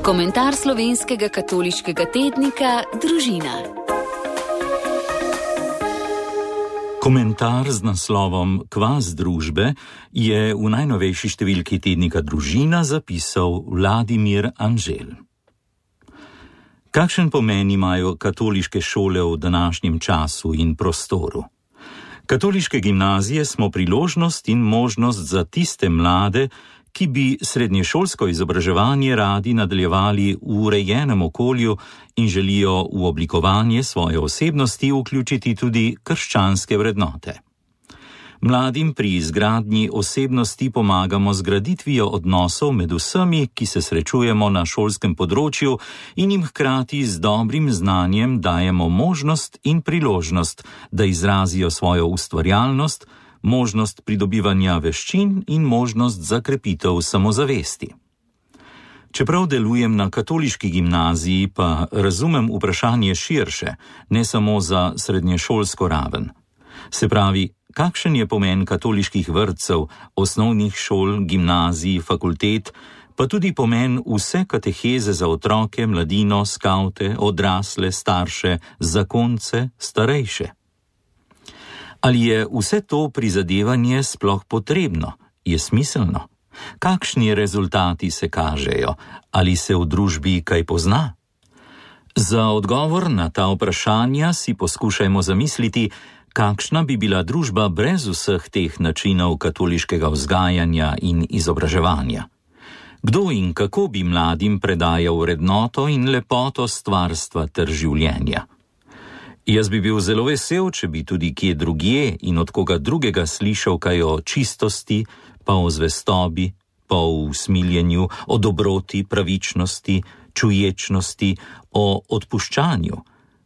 Komentar slovenskega katoliškega tednika Družina. Komentar z naslovom Kvas družbe je v najnovejši številki tednika Družina zapisal Vladimir Anžel. Kakšen pomen imajo katoliške šole v današnjem času in prostoru? Katoliške gimnazije smo priložnost in možnost za tiste mlade, ki bi srednješolsko izobraževanje radi nadaljevali v urejenem okolju in želijo v oblikovanje svoje osebnosti vključiti tudi krščanske vrednote. Mladim pri izgradnji osebnosti pomagamo z graditvijo odnosov med vsemi, ki se srečujemo na šolskem področju, in jim hkrati z dobrim znanjem dajemo možnost in priložnost, da izrazijo svojo ustvarjalnost, možnost pridobivanja veščin in možnost za krepitev samozavesti. Čeprav delujem na katoliški gimnaziji, pa razumem vprašanje širše, ne samo za srednješolsko raven. Se pravi, kakšen je pomen katoliških vrtcev, osnovnih šol, gimnazij, fakultet, pa tudi pomen vse kateheze za otroke, mladino, skavte, odrasle, starše, zakonce, starejše. Ali je vse to prizadevanje sploh potrebno? Je smiselno? Kakšni rezultati se kažejo? Ali se v družbi kaj pozna? Za odgovor na ta vprašanja si poskušajmo zamisliti, kakšna bi bila družba brez vseh teh načinov katoliškega vzgajanja in izobraževanja? Kdo in kako bi mladim predajal vrednoto in lepoto stvarstva ter življenja? Jaz bi bil zelo vesel, če bi tudi kje drugje in od koga drugega slišal kaj o čistosti, pa o zvestobi, pa o usmiljenju, o dobroti, pravičnosti, čuječnosti, o odpuščanju.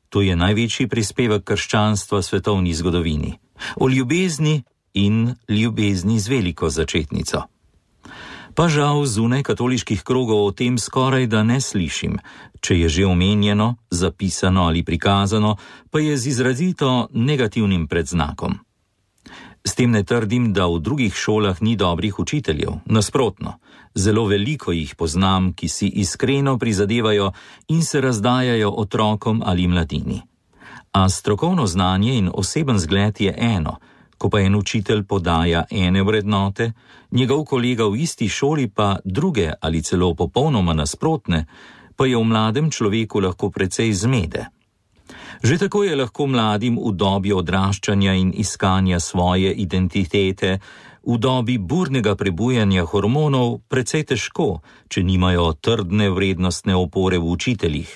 To je največji prispevek krščanstva svetovni zgodovini. O ljubezni in ljubezni z veliko začetnico. Pa žal zunaj katoliških krogov o tem skoraj da ne slišim, če je že omenjeno, zapisano ali prikazano, pa je z izrazito negativnim predznakom. S tem ne trdim, da v drugih šolah ni dobrih učiteljev, nasprotno. Zelo veliko jih poznam, ki si iskreno prizadevajo in se razdajajo otrokom ali mladini. A strokovno znanje in oseben zgled je eno, ko pa en učitelj podaja ene vrednote, njegov kolega v isti šoli pa druge ali celo popolnoma nasprotne, pa je v mladem človeku lahko precej zmede. Že tako je lahko mladim v dobi odraščanja in iskanja svoje identitete, v dobi burnega prebujanja hormonov precej težko, če nimajo trdne vrednostne opore v učiteljih.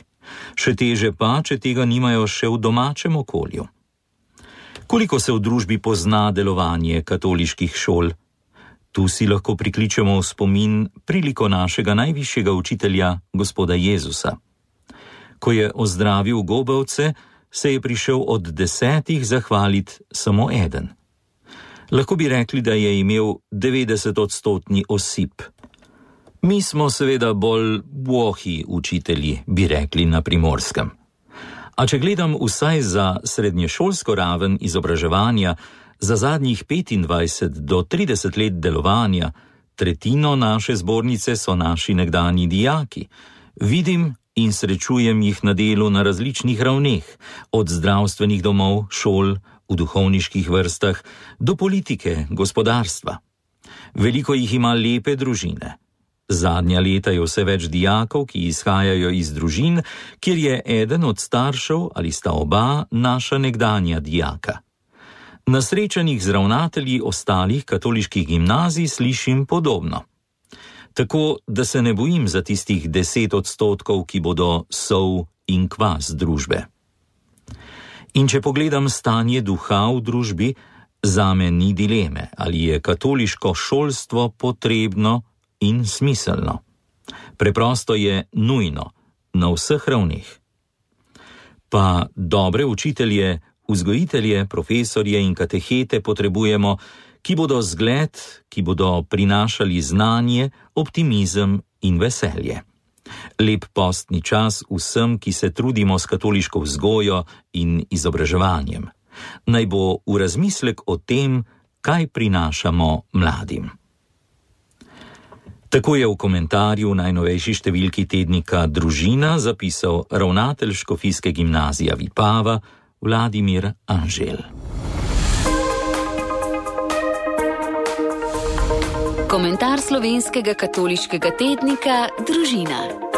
Še teže pa, če tega nimajo še v domačem okolju. Koliko se v družbi pozna delovanje katoliških šol? Tu si lahko prikličemo v spomin priliko našega najvišjega učitelja, gospoda Jezusa. Ko je ozdravil gobavce, se je prišel od 10 zahvaliti samo eden. Lahko bi rekli, da je imel 90% osip. Mi smo seveda bolj bohi učitelji, bi rekli na Primorskem. A če gledam vsaj za srednješolsko raven izobraževanja, za zadnjih 25 do 30 let delovanja, tretjino naše zbornice so naši nekdanji dijaki. Vidim in srečujem jih na delu na različnih ravneh, od zdravstvenih domov, šol, v duhovniških vrstah, do politike, gospodarstva. Veliko jih ima lepe družine. Zadnja leta je vse več dijakov, ki izhajajo iz družin, kjer je eden od staršev ali sta oba naša nekdanja dijaka. Na srečanjih z ravnatelji ostalih katoliških gimnazij slišim podobno. Tako, da se ne bojim za tistih 10%, ki bodo sol in kvas družbe. In če pogledam stanje duha v družbi, zame ni dileme, ali je katoliško šolstvo potrebno in smiselno. Preprosto je nujno, na vseh ravneh. Pa dobre učitelje, vzgojitelje, profesorje in katehete potrebujemo, ki bodo zgled, ki bodo prinašali znanje, optimizem in veselje. Lep postni čas vsem, ki se trudimo s katoliško vzgojo in izobraževanjem. Naj bo v razmislek o tem, kaj prinašamo mladim. Tako je v komentarju v najnovejši številki tednika Družina zapisal ravnatelj škofijske gimnazije Vipava Vladimir Anžel. Komentar slovenskega katoliškega tednika Družina.